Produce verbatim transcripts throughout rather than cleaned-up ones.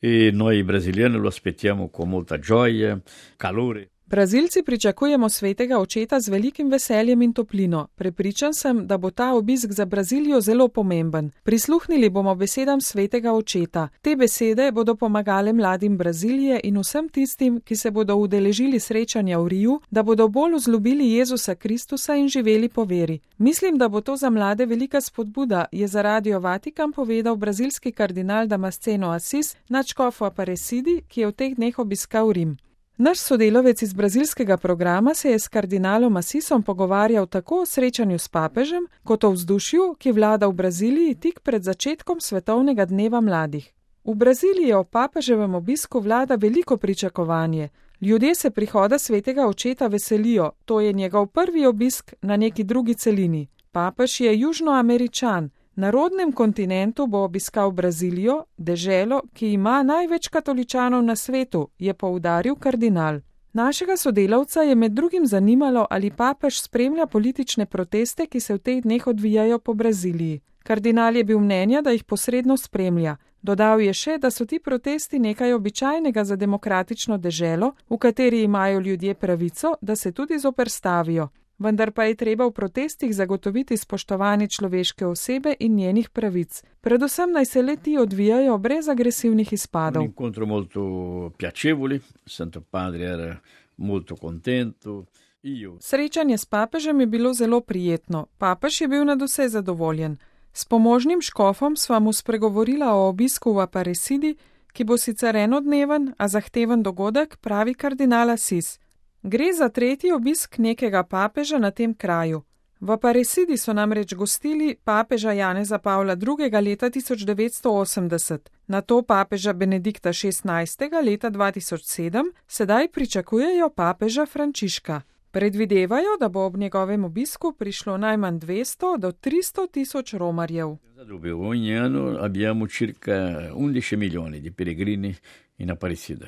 e noi brasiliani lo aspettiamo con molta gioia, calore. Brazilci pričakujemo svetega očeta z velikim veseljem in toplino. Prepričan sem, da bo ta obisk za Brazilijo zelo pomemben. Prisluhnili bomo besedam svetega očeta. Te besede bodo pomagale mladim Brazilije in vsem tistim, ki se bodo udeležili srečanja v Riju, da bodo bolj vzljubili Jezusa Kristusa in živeli po veri. Mislim, da bo to za mlade velika spodbuda, je za Radio Vatikan povedal brazilski kardinal Damasceno Assis, nadškof v Aparecidi, ki je v teh dneh obiskal Rim. Naš sodelavec iz brazilskega programa se je s kardinalom Assisom pogovarjal tako o srečanju s papežem, kot o vzdušju, ki vlada v Braziliji tik pred začetkom svetovnega dneva mladih. V Braziliji o papeževem obisku vlada veliko pričakovanje. Ljudje se prihoda svetega očeta veselijo, to je njegov prvi obisk na neki drugi celini. Papež je Južnoameričan. Na rodnem kontinentu bo obiskal Brazilijo, deželo, ki ima največ katoličanov na svetu, je poudaril kardinal. Našega sodelavca je med drugim zanimalo, ali papež spremlja politične proteste, ki se v teh dneh odvijajo po Braziliji. Kardinal je bil mnenja, da jih posredno spremlja. Dodal je še, da so ti protesti nekaj običajnega za demokratično deželo, v kateri imajo ljudje pravico, da se tudi zoperstavijo. Vendar pa je treba v protestih zagotoviti spoštovanje človeške osebe in njenih pravic. Predvsem naj se le ti odvijajo brez agresivnih izpadov. Incontro molto piacevoli, Santo Padre era molto contento. Io... Srečanje s papežem je bilo zelo prijetno. Papež je bil nadvse zadovoljen. S pomožnim škofom sva mu spregovorila o obisku v Aparecidi, ki bo sicer enodneven, a zahteven dogodek, pravi kardinal Assis. Gre za tretji obisk nekega papeža na tem kraju. V Aparecidi so namreč gostili papeža Janeza Pavla drugega. leta tisoč devetsto osemdeset, nato papeža Benedikta šestnajstega. leta dva tisoč sedem, sedaj pričakujejo papeža Frančiška. Predvidevajo, da bo ob njegovem obisku prišlo najmanj dvesto do tristo tisoč romarjev. Ogni anno abbiamo circa undici milioni di pellegrini in Aparecida.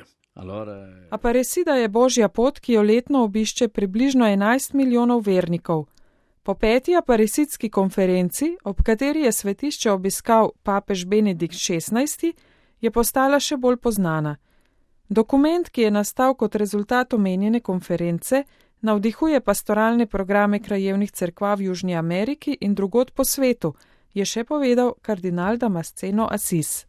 Aparecida je božja pot, ki jo letno obišče približno enajst milijonov vernikov. Po peti aparecidski konferenci, ob kateri je svetišče obiskal papež Benedikt šestnajsti, je postala še bolj poznana. Dokument, ki je nastal kot rezultat omenjene konference, navdihuje pastoralne programe krajevnih cerkva v Južni Ameriki in drugod po svetu, je še povedal kardinal Damasceno Assis.